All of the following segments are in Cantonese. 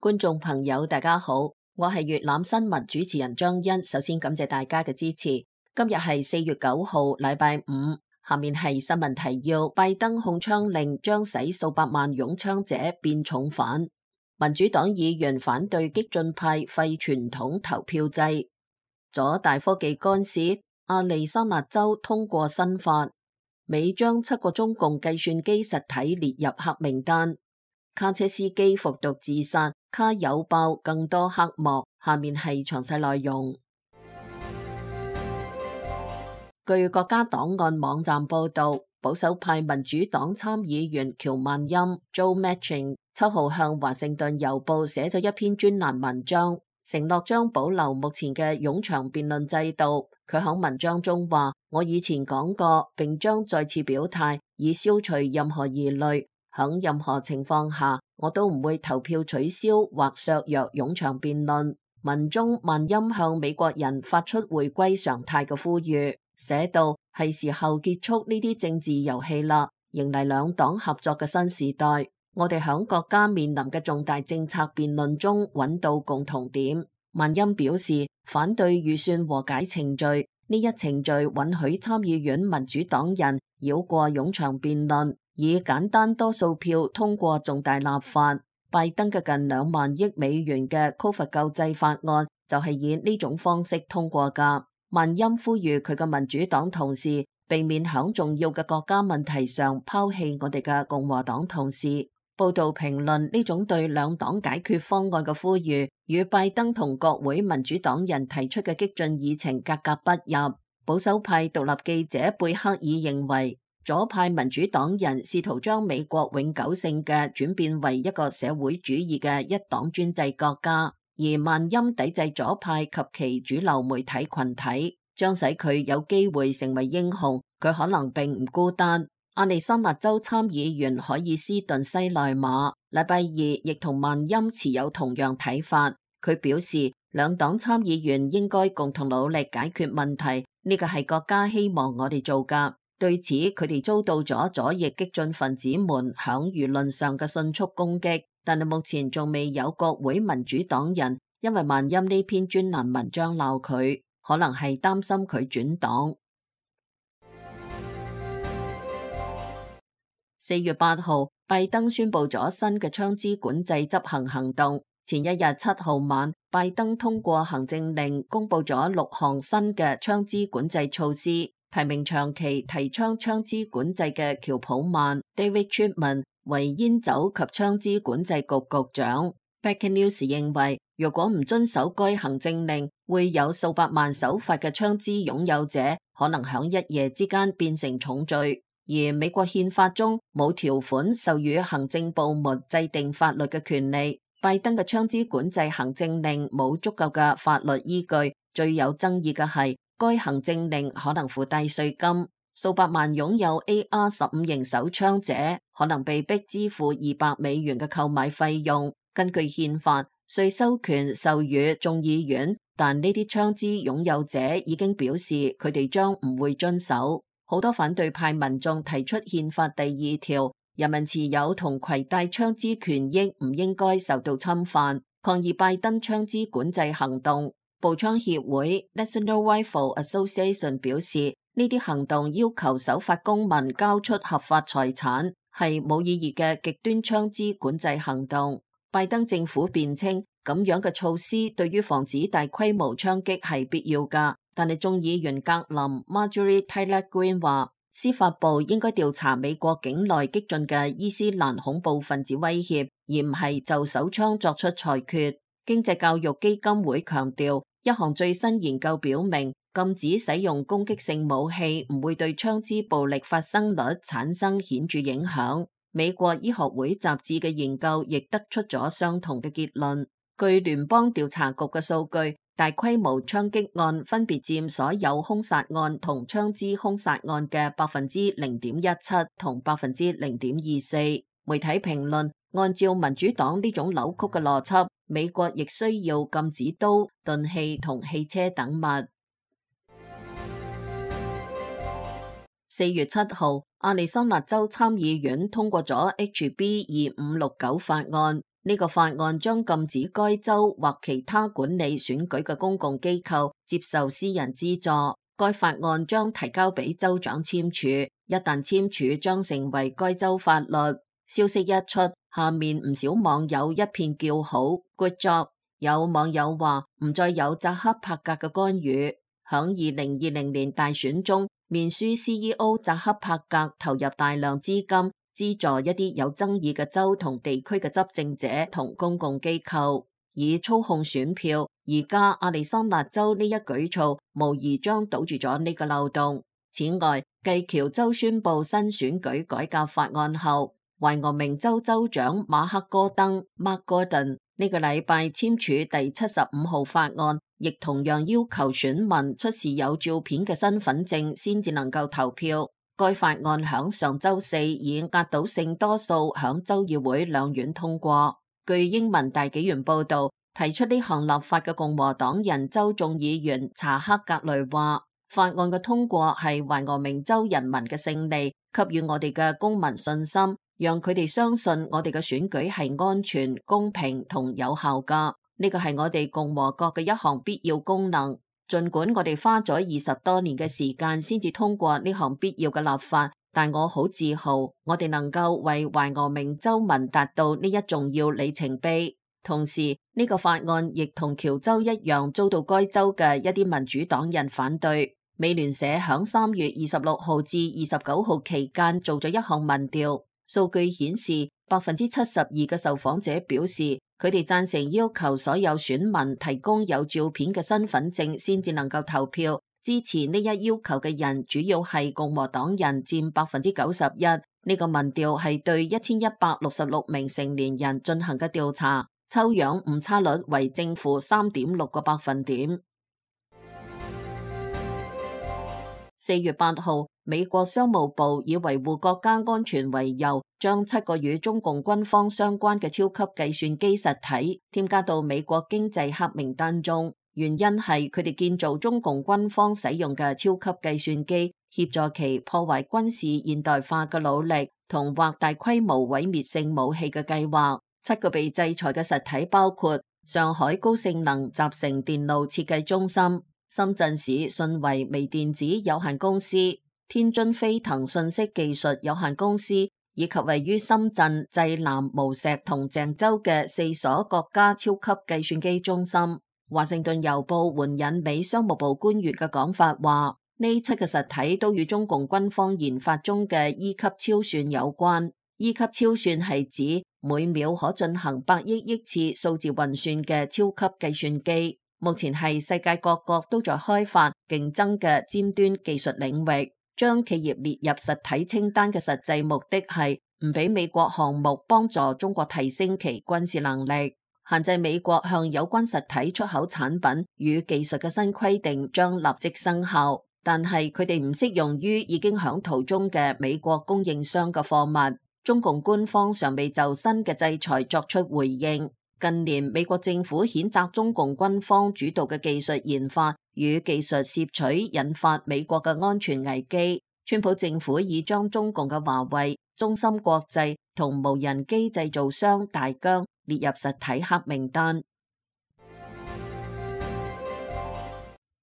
觀眾朋友大家好，我係粵覽新聞主持人張欣。首先感謝大家嘅支持。今日係4月9號，禮拜五。下面係新聞提要：拜登控槍令將使數百萬擁槍者變重犯。民主黨議員反對激進派廢傳統投票制。左大科技干涉，亞利桑那州通過新法，美將7個中共計算機實體列入黑名單。卡車司機服毒自殺，卡有爆更多黑幕。下面係詳細內容。據國家檔案網站報道，保守派民主黨參議員喬萬欽 Joe Manchin 7號向華盛頓郵報寫咗一篇專欄文章，承諾將保留目前嘅冗長辯論制度。佢喺文章中話：我以前講過，並將再次表態，以消除任何疑慮。喺任何情況下，我都唔會投票取消或削弱冗長辯論。文中萬欽向美國人發出回歸常態嘅呼籲，寫道：係時候結束呢啲政治遊戲啦，迎嚟兩黨合作嘅新時代。我哋喺國家面臨嘅重大政策辯論中揾到共同點。萬欽表示反對預算和解程序，呢一程序允許參議院民主黨人繞過冗長辯論，以簡單多數票通過重大立法。拜登嘅近2萬億美元嘅 COVID 救濟法案就係以呢種方式通過㗎。萬欽呼籲佢嘅民主黨同事避免響重要嘅國家問題上拋棄我哋嘅共和黨同事。報道評論呢種對兩黨解決方案嘅呼籲，與拜登同國會民主黨人提出嘅激進議程格格不入。保守派獨立記者貝克爾認為，左派民主黨人試圖將美國永久性嘅轉變為一個社會主義嘅一黨專制國家，而萬欽抵制左派及其主流媒體群體，將使佢有機會成為英雄。佢可能並唔孤單。亞利桑那州參議員凱爾斯頓西內馬禮拜二亦同萬欽持有同樣睇法。佢表示，兩黨參議員應該共同努力解決問題，呢個係國家希望我哋做㗎。對此，佢哋遭到咗左翼激進分子們響輿論上嘅迅速攻擊，但係目前仲未有國會民主黨人因為萬欽呢篇專欄文章鬧佢，可能係擔心佢轉黨。4月8號，拜登宣布咗新嘅槍支管制執行行動。前一日7號晚，拜登通過行政令，公布咗6項新嘅槍支管制措施。提名長期提倡槍支管制嘅喬普曼 David Chipman 為煙酒及槍支管制局局長。Breaking News 認為，如果唔遵守該行政令，會有數百萬守法嘅槍支擁有者可能響一夜之間變成重罪。而美國憲法中冇條款授予行政部門制定法律嘅權利。拜登嘅槍支管制行政令冇足夠嘅法律依據。最有爭議嘅係，該行政令可能附帶稅金，數百萬擁有 AR-15型手槍者可能被逼支付$200嘅購買費用。根據憲法，稅收權授予眾議院，但呢啲槍支擁有者已經表示佢哋將唔會遵守。好多反對派民眾提出憲法第2條，人民持有同攜帶槍支權益唔應該受到侵犯，抗議拜登槍支管制行動。步槍協會 National Rifle Association 表示，呢啲行動要求守法公民交出合法財產，係冇意義嘅極端槍支管制行動。拜登政府辯稱，咁樣嘅措施對於防止大規模槍擊係必要㗎。但係眾議員格林 Marjorie Taylor Greene 話，司法部應該調查美國境內激進嘅伊斯蘭恐怖分子威脅，而唔係就手槍作出裁決。經濟教育基金會強調，一項最新研究表明，禁止使用攻擊性武器唔會對槍支暴力發生率產生顯著影響。美國醫學會雜誌嘅研究亦得出咗相同嘅結論。據聯邦調查局嘅數據，大規模槍擊案分別佔所有兇殺案同槍支兇殺案嘅0.17%同0.24%。媒體評論，按照民主黨呢種扭曲嘅邏輯，美國亦需要禁止刀、鈍器同汽車等物。4月7號，亞利桑那州參議院通過咗 HB 2569法案。呢個法案將禁止該州或其他管理選舉嘅公共機構接受私人資助。該法案將提交俾州長簽署，一旦簽署將成為該州法律。消息一出，下面唔少網友一片叫好 ，Good job！ 有網友話唔再有扎克伯格嘅干預。響2020年大選中，面書 CEO 扎克伯格投入大量資金，資助一啲有爭議嘅州同地區嘅執政者同公共機構，以操控選票。而家亞利桑那州呢一舉措，無疑將堵住咗呢個漏洞。此外，繼喬州宣布新選舉改革法案後，懷俄明州州長馬克戈登 （Mark Gordon） 呢個禮拜簽署第75號法案，亦同樣要求選民出示有照片嘅身份證先至能夠投票。該法案響上週四以壓倒性多數響州議會兩院通過。據英文大紀元報導，提出呢項立法嘅共和黨人州眾議員查克格雷話，法案嘅通過係懷俄明州人民嘅勝利，給予我哋嘅公民信心，讓佢哋相信我哋嘅選舉係安全、公平同有效㗎。呢個係我哋共和國嘅一項必要功能。儘管我哋花咗20多年嘅時間先至通過呢項必要嘅立法，但我好自豪，我哋能夠為懷俄明州民達到呢一重要里程碑。同時，呢個法案亦同喬州一樣遭到該州嘅一啲民主黨人反對。美聯社響3月26號至29號期間做咗一項民調，數據顯示72%嘅受訪者表示佢哋贊成要求所有選民提供有照片嘅身份證先至能夠投票。支持呢一要求嘅人主要係共和黨人，佔91%。呢個民調係對1166名成年人進行嘅調查。抽樣誤差率為正負3.6個百分點。4月8號，美國商務部以維護國家安全為由，將7個與中共軍方相關嘅超級計算機實體添加到美國經濟黑名單中。原因係佢哋建造中共軍方使用嘅超級計算機，協助其破壞軍事現代化嘅努力同或大規模毀滅性武器嘅計劃。7個被制裁嘅實體包括上海高性能集成電路設計中心、深圳市信維微電子有限公司、天津飛騰信息技術有限公司，以及位於深圳、濟南、無錫同鄭州嘅4所國家超級計算機中心。華盛頓郵報援引美商務部官員嘅講法話，呢7個實體都與中共軍方研發中嘅 E 級超算有關。E 級超算係指每秒可進行100億次數字運算嘅超級計算機，目前係世界各國都在開發競爭嘅尖端技術領域。將企業列入實體清單嘅實際目的係唔俾美國項目幫助中國提升其軍事能力。限制美國向有關實體出口產品與技術嘅新規定將立即生效，但係佢哋唔適用於已經響途中嘅美國供應商嘅貨物。中共官方尚未就新嘅制裁作出回應。近年，美國政府譴責中共軍方主導嘅技術研發與技術攝取引發美國嘅安全危機。川普政府已將中共嘅華為、中芯國際同無人機製造商大疆列入實體黑名單。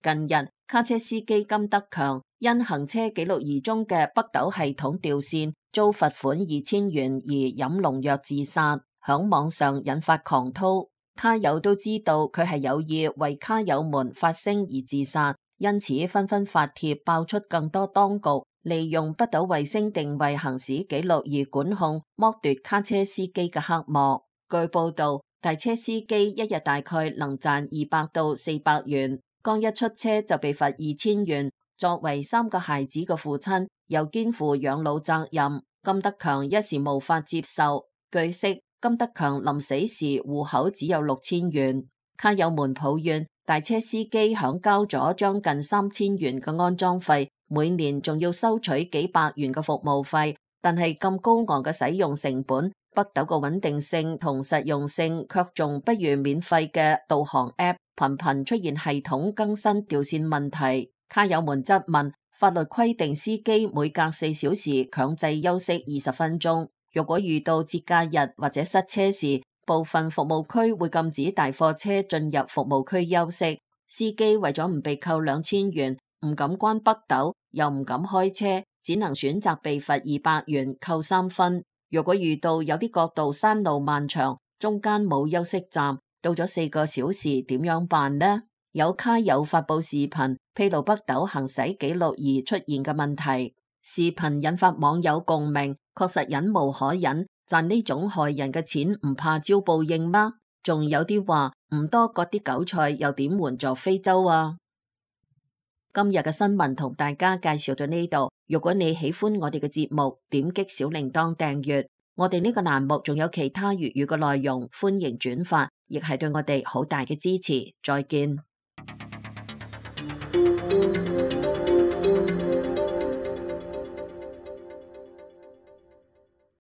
近日，卡車司機金德強因行車記錄儀中嘅北斗系統掉線，遭罰款2000元而飲農藥自殺，響網上引發狂濤。卡友都知道佢係有意為卡友們發聲而自殺，因此紛紛發帖爆出更多當局利用北斗衛星定位行駛記錄儀管控剝奪卡車司機嘅黑幕。據報道，大車司機一日大概能賺200到400元。剛一出車就被罰2000元。作為3個孩子嘅父親，又肩負養老責任，金德強一時無法接受。據悉，金德強臨死時戶口只有6000元。卡友們抱怨，大車司機響交咗將近3000元嘅安裝費，每年仲要收取幾百元嘅服務費。但係咁高昂嘅使用成本，北斗嘅穩定性同實用性卻仲不如免費嘅導航 App。頻頻出現系統更新掉線問題，卡友們質問法律規定司機每隔4小時強制休息20分鐘，若果遇到節假日或者塞車時，部分服務區會禁止大貨車進入服務區休息，司機為咗唔被扣2000元，唔敢關北斗，又唔敢開車，只能選擇被罰200元，扣3分。如果遇到有啲國道山路漫長，中間冇休息站，到咗4個小時，點樣辦呢？有卡友發佈視頻披露北斗行駛記錄儀出現嘅問題，視頻引發網友共鳴，確實忍無可忍，賺呢種害人嘅錢唔怕招報應嗎？仲有啲話唔多割啲韭菜又點援助非洲啊？今日嘅新聞同大家介紹到呢度，如果你喜歡我哋嘅節目，點擊小鈴鐺訂閱，我哋呢個欄目仲有其他粵語嘅內容，歡迎轉發，亦係對我哋好大嘅支持。再見。